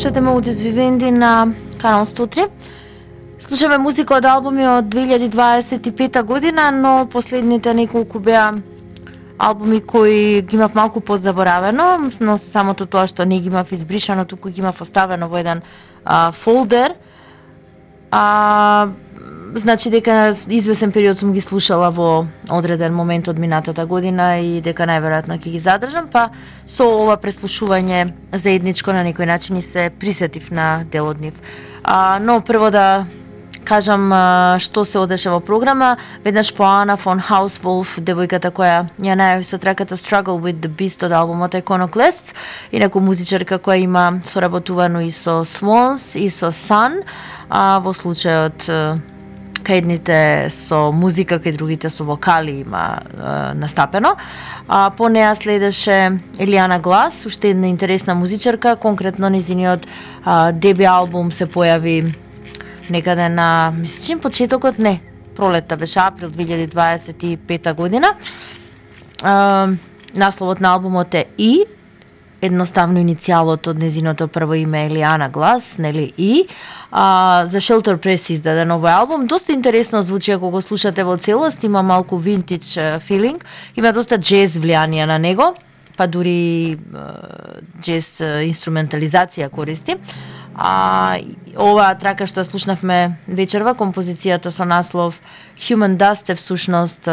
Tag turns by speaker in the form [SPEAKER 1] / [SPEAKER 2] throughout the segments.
[SPEAKER 1] Слушате Modus Vivendi на Канал 103. Слушаме музика од албуми од 2025 година, но последните неколку беа албуми кои ги имав малку подзаборавено, но самото тоа што не ги имав избришано, туку ги имав оставено во еден фолдер. Значи дека извесен период сум ги слушала во одреден момент од минатата година и дека најверојатно ќе ги задржам, па со ова преслушување заедничко на некој начин и се присетив на дел од нив. Но прво да кажам што се одеше во програма. Веднаш по Ана фон Хаусволф, девојката која ја најави со траката Struggle with the Beast од албумот Iconoclasts, инаку музичарка која има соработувано и со Swans и со Sun, во случајот кај едните со музика, кај другите со вокали има настапено. По неа следеше Елиана Глас, уште една интересна музичарка, конкретно незиниот деби албум се појави некаде на, мислам, почетокот, не, пролетта беше април 2025 година. Насловот на албумот е И, едноставно иницијалот од незиното прво име Елиана Глас, нели И. За Shelter Press издаде новој албум. Доста интересно звучи ако го слушате во целост, има малку винтидж филинг, има доста джез влијание на него, па дури джез инструментализација користи. Оваа трака што ја слушнавме вечерва, композицијата со наслов Human Dust е всушност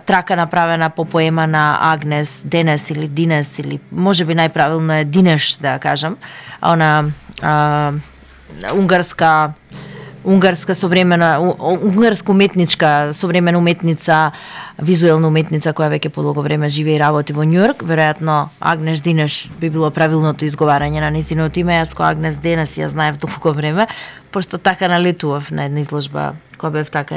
[SPEAKER 1] трака направена по поема на Агнес Денес или Динес, или можеби најправилно е Динеш да кажам, она унгарска современа унгарска уметничка, современа уметница, визуелна уметница која веќе подолго време живее и работи во Њујорк. Веројатно Агнес Динеш би било правилното изговарање на нејзиното име. Јас која Агнес Денес ја знаев долго време, пошто така налетував на една изложба која бев така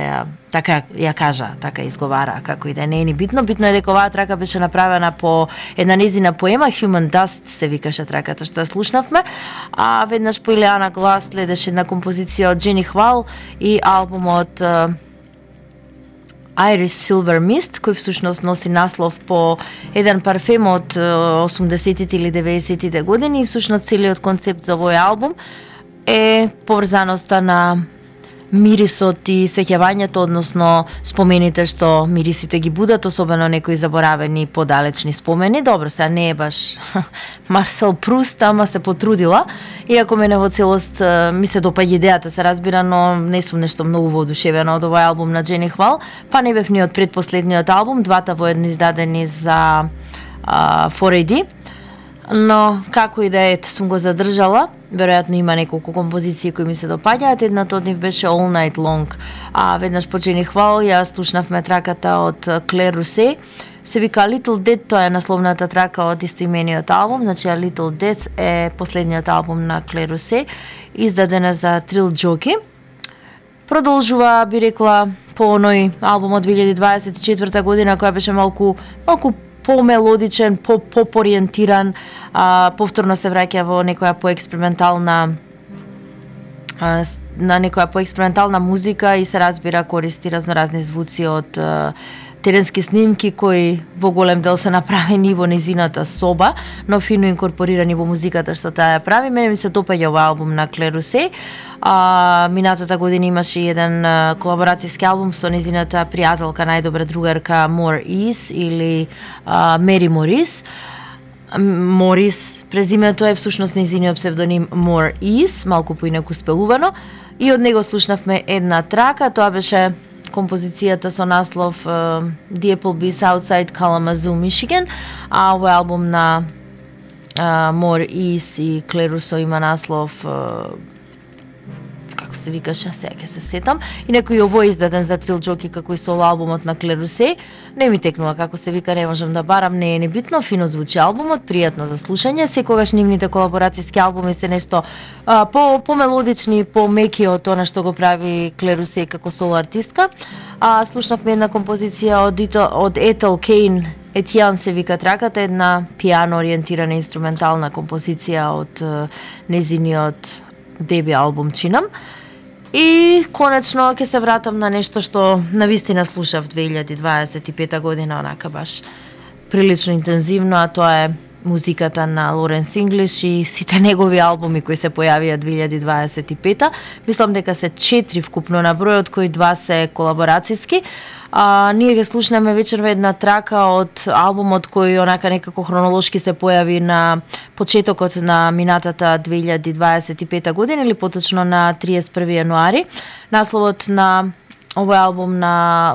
[SPEAKER 1] ја кажа, така изговара, како и да не е ни битно. Битно е дека оваа трака беше направена по една нејзина поема, Human Dust се викаше траката што ја слушнавме, а веднаш по Елиана Глас следеше една композиција од Джени Хвал и албумот Iris Silver Mist, кој всушност носи наслов по еден парфем од 80-тите или 90-тите години, и всушност целиот концепт за овој албум е поврзаноста на мирисот и сеќавањето, односно спомените што мирисите ги будат, особено некои заборавени подалечни спомени. Добро, сега не е баш Марсел Пруст, ама се потрудила. Иако мене во целост ми се допаѓа идејата, се разбира, но не сум нешто многу воодушевена од овој албум на Джени Хвал, па не бев ни од предпоследниот албум, двата воедно издадени за 4AD. Но како и да е, сум го задржала. Веројатно има неколку композиции кои ми се допаѓаат. Едната од нив беше All Night Long. Веднаш по Джени Хвал ја слушнавме траката од Клер Русе. Се вика Little Death, тоа е насловната трака од истоимениот албум. Значи Little Death е последниот албум на Клер Русе, издадена за Trill Jockey. Продолжува, би рекла, по оној албум од 2024 година, која беше малку по-мелодичен, по-поп-ориентиран, повторно се враќа во некоја поекспериментална музика и се разбира користи разноразни звуци од теренски снимки кои во голем дел се направени во незината соба, но фино инкорпорирани во музиката што таа ја прави. Мене ми се допаѓа овој албум на Клер Русе. Минатата година имаше еден колаборацијски албум со незината пријателка, најдобра другарка Мор Ис или Мери Морис. Морис, презимето е всушност незиниот псевдоним Мор Ис, малку поинаку спелувано. И од него слушнавме една трака, тоа беше композицијата со наслов The Applebee's Outside Kalamazoo, Michigan, а овој албум на Мор Ис и Клер Русе има наслов како се викаше, сега ќе се сетам. И некој овој издаден за Trill Jockey како и со албумот на Клер Русе. Не ми текнува како се вика, не можам да барам, не е ни битно, фино звучи албумот, пријатно за слушање. Секогаш нивните колаборацијски албуми се нешто по-мелодични, по-меки од тоа што го прави Клер Русе како соло артистка. Слушнавме една композиција од Ethel Cain, Етијан се вика траката, една пијано ориентирана инструментална композиција од незиниот деби албум чинам. И конечно ќе се вратам на нешто што навистина слушав 2025 година, онака баш прилично интензивно, а тоа е музиката на Лоренс Инглиш и сите негови албуми кои се појавија 2025. Мислам дека се 4 вкупно на број, од кои 2 се колаборацијски. Ние ги слушнеме вечерва една трака од албумот кој онака некако хронолошки се појави на почетокот на минатата 2025 година или поточно на 31 јануари. Насловот на овој албум на